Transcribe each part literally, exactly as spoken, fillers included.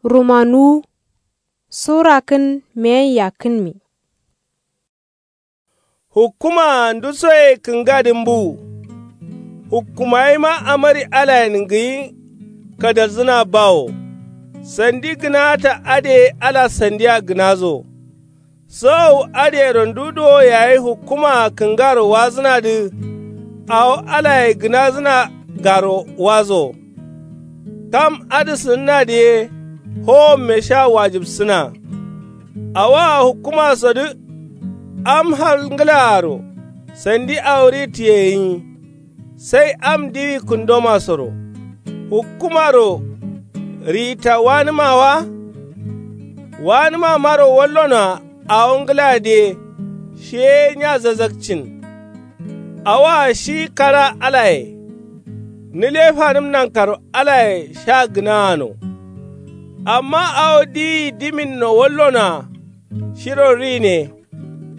Rumanuwu. Sura kǝn meyen yakkǝnmi. Hukkumaa ndusoye kǝngadǝ mbuwu. Hukkumayima amari alayen ngǝyi kadalzǝna bawo. Sandi gǝnaata adǝye ala sandiya gǝnazo. Sowowu adǝyero ndu duwo yayi hukkumaa kǝngaro wazǝnadǝ. Awo alaye gǝnazǝna garo wazo. Kam adǝ sǝnǝnadǝ ye howomme sha wajǝbsǝna. Awoa hukkumasodǝ am hal ngǝlaaro sandi awo ri tiyeyiyi. Sai am diwi kǝndomasoro hukkumaro riyitta wanǝma wa. Wanǝmamaro wallonoa awo ngǝladǝye shiye nya zazakcin. Awoa shi kara alaye nǝle fanǝm nankaro alaye sha gǝnaano. Amma awo diyi diminno wallonoa shiro rine.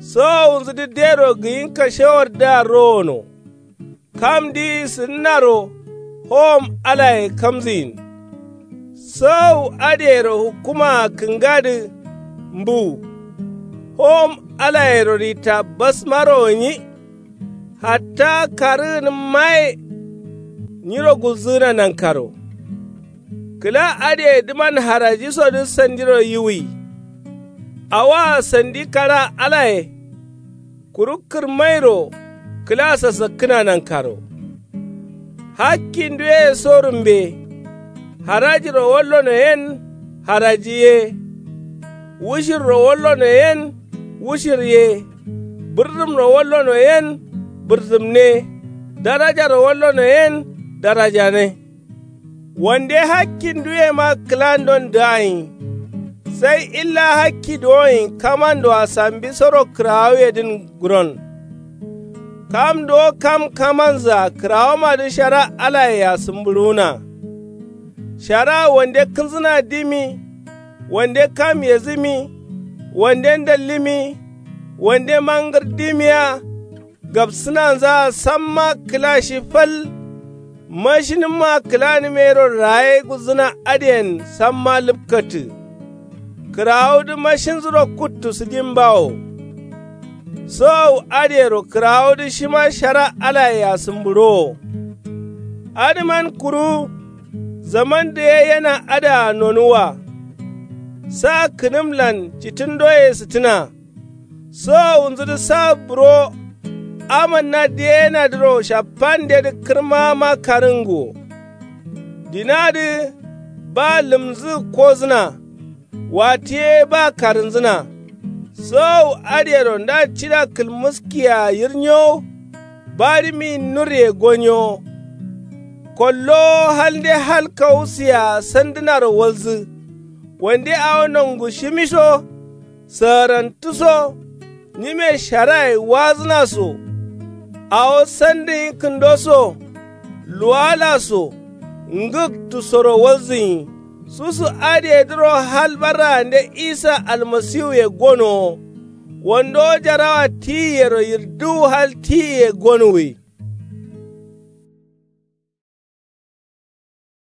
Sowowunzǝdǝ dero gǝyin kashewardǝa rowono. Kam diyi sǝnǝnaro howom alaye kamzǝyin. Sowowu adǝyero hukkumaa kǝngadǝ mbuwu. Howom alayero ritta basmaro gǝnyi. Hatta karǝgǝnǝmmaye nyiro gulzǝgǝna nankaro. Kǝla adǝyedǝman harajisodǝ sandiro yiwuyi. Awoa sandi kara alaye kuru kǝrmairo kǝla sasakkǝna nankaro. Hakki nduye so rǝmbe. Harajiro wallono yen haraji ye. Wushirro wallono yen wushir ye. Bǝrdǝmro wallono yen bǝrdǝmne. Darajaro wallono yen darajane. Wande hakki nduyema kǝlandon dǝayin. Sai illa hakki duwoyin kamandoa sambisoro kǝrawuyedǝn guron. Kam duwo kam kamanzǝa kǝrawomadǝ shara alayea sǝmbǝɍuwuna. Shara wande kǝnzǝna dimi. Wande kam yezǝmi. Wande ndallǝmi. Wande mangǝr dimiya. Gabsǝnanzaa samma kǝla shi fal. Mashinǝmma kǝlanǝmeyero raye gulzǝna adǝyen samma lǝpkatǝ. Kǝrawudǝ mashinzuro kuttu sǝdimbawo. Sowowu adǝyero kǝrawudǝ shima shara alayea sǝmbǝɍowo. Adǝman kuru zaman dǝ ye yena adǝa nonuwwa. Sa kǝnǝmlan citǝndoye sǝtǝna. Sowowunzǝdǝ sa buro. Amanna diyenadǝro shaffandedǝ kǝrmama karǝnguwo. Dinadǝ ba lǝmzǝ kozǝna. Watiye ba karǝnzǝna. Sowowu adǝyero nda cida kǝlmǝskiya yirnyowo. Barǝmi nurye gonyowo. Kollowo halnde hal kawusiya sandǝnaro walzǝ. Wande awo nongu shimisho. Sǝgǝrantǝso. Nyime sharaye wazǝna so. Awo sandǝnyi kǝndo so. Luwala so. Ngǝktu soro walzǝnyi. Susu adǝyedǝro hal barraande isa almasiwuye gonowo. Wandowo jarawa tiyiyero yirdǝwu hal tiyiye gonuwwi.